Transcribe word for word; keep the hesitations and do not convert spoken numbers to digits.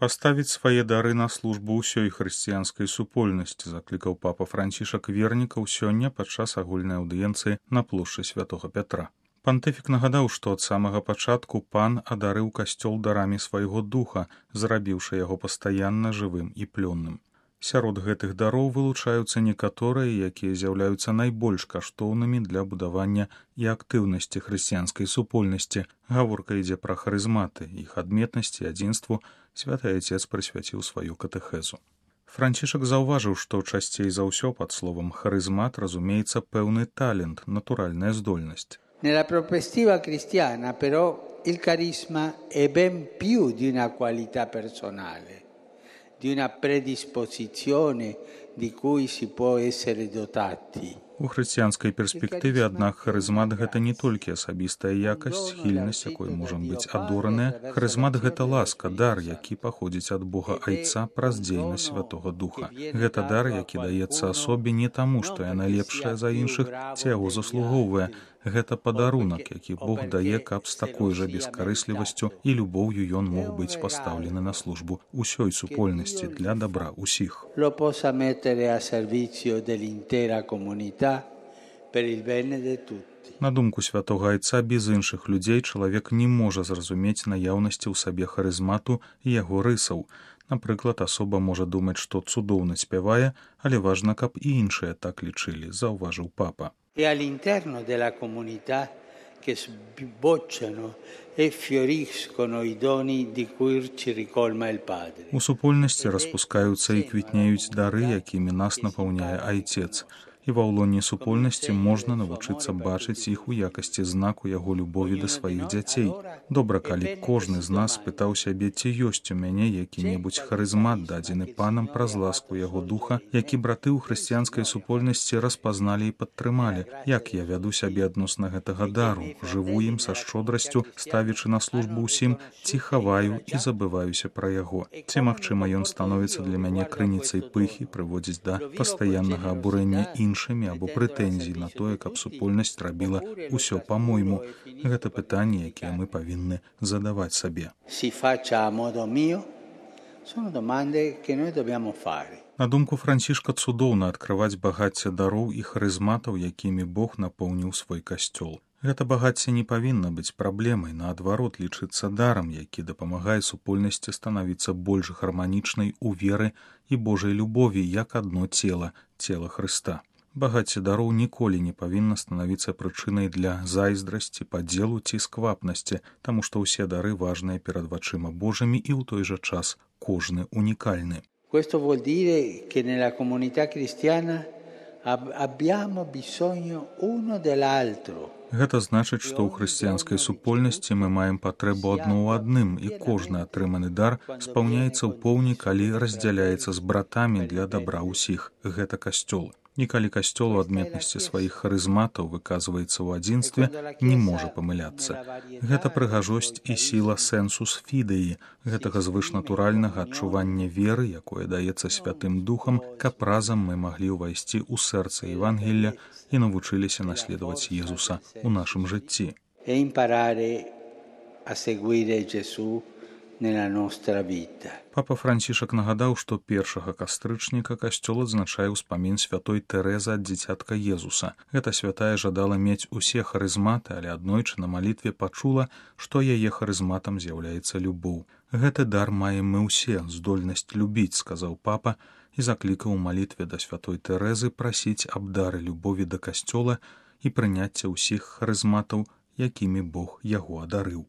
Паставіць свае дары на службу ўсёй хрысціянскай супольнасці, заклікаў папа Францішак вернікаў сёння падчас агульнай аўдыенцыі на плошчы святога Пятра. Пантыфік нагадаў, што ад самага пачатку пан адарыў касцёл дарамі свайго духа, зрабіўшы яго пастаянна жывым і плённым. Сярод гэтых дароў вылучаюцца некаторыя, якія з'яўляюцца найбольш каштоўнымі для будавання і актыўнасці хрысціянскай супольнасці. Гаворка ідзе пра харызматы, іх адметнасці і адзінству святы Айцец прысвяціў сваю катэхезу. Францішак заўважыў, што часцей за ўсё пад словам харызмат разумеецца пэўны талент, натуральная здольнасць. Nella prospettiva cristiana, però, il carisma è ben più di una qualità personale, di una predisposizione di cui si può essere dotati. У хрысціянскай перспектыве, аднак, харызмат гэта не толькі асабістая якасць, схільнасць, якой можам быць адораная. Харызмат гэта ласка, дар, які паходзіць ад Бога Айца праз дзейнасць Святога Духа. Гэта дар, які даецца асобе не таму, што яна лепшая за іншых, ці яго заслугоўвае. Гэта падарунак, які Бог дае, каб з такой жа бескарыслівасцю і любоўю ён мог быць пастаўлены на службу ўсёй супольнасці для дабра ўсіх. Lo possa mettere a servizio dell'intera comunità per il bene di tutti. На думку святога Айца, без іншых людзей чалавек не можа зразумець наяўнасці ў сабе харызмату і яго рысаў. Напрыклад, асоба можа думаць, што цудоўна спявае, але важна, каб і іншыя так лічылі, заўважыў папа. E all'interno della comunità che sbocciano e fioriscono i doni di cui ci ricolma il Padre. У супольнасці распускаюцца і квітнеюць дары, якімі нас напаўняе Айцец. І ва ўлоне супольнасці можна навучыцца бачыць іх у якасці знаку яго любові да сваіх дзяцей. Добра, калі кожны з нас спытаў сябе, ці ёсць у мяне які-небудзь харызмат, дадзены панам праз ласку яго духа, які браты ў хрысціянскай супольнасці распазналі і падтрымалі. Як я вяду сябе адносна гэтага дару, жыву ім са шчодрасцю, ставячы на службу ўсім, ці хаваю і забываюся пра яго. Ці, магчыма, ён становіцца для мяне крыніцай пыхі, прыводзіць да пастаяннага абурэння іншых іншымі або прэтэнзій на тое, каб супольнасць рабіла ўсё па-мойму. Гэта пытанні, якія мы павінны задаваць сабе. На думку Францішка, цудоўна адкрываць багацце дароў і харызматаў, якімі Бог напоўніў свой касцёл. Гэта багацце не павінна быць праблемай, наадварот, лічыцца дарам, які дапамагае супольнасці станавіцца больш гарманічнай у веры і Божай любові, як адно цела, цела Хрыста. Багацце дароў ніколі не павінна станавіцца прычынай для зайздрасці, падзелу ці сквапнасці, таму што ўсе дары важныя перад вачыма Божымі і ў той жа час кожны унікальны. Questo vuol dire che nella comunità cristiana abbiamo bisogno uno dell'altro. Гэта значыць, што ў хрысціянскай супольнасці мы маем патрэбу адно ў адным, і кожны атрыманы дар спаўняецца ў поўні, калі раздзяляецца з братамі для дабра ўсіх. Гэта касцёл. І калі касцёл у адметнасці сваіх харызматаў выказваецца ў адзінстве, не можа памыляцца. Гэта прыгажосць і сіла сэнсус фідэі, гэтага звышнатуральнага адчування веры, якое даецца Святым Духам, каб разам мы маглі ўвайсці ў сэрца Евангелля і навучыліся наследаваць Езуса у нашым жыцці. E imparare a seguire Gesù nella nostra vita. Папа Францішак нагадаў, што першага кастрычніка касцёл адзначае ўспамін святой Тэрэзы ад дзіцятка Езуса. Гэта святая жадала мець усе харызматы, але аднойчы на малітве пачула, што яе харызматам з'яўляецца любоў. Гэты дар маем мы ўсе, здольнасць любіць, сказаў папа, і заклікаў у малітве да святой Тэрэзы прасіць аб дары любові да касцёла і прыняцця ўсіх харызматаў, якімі Бог яго адарыў.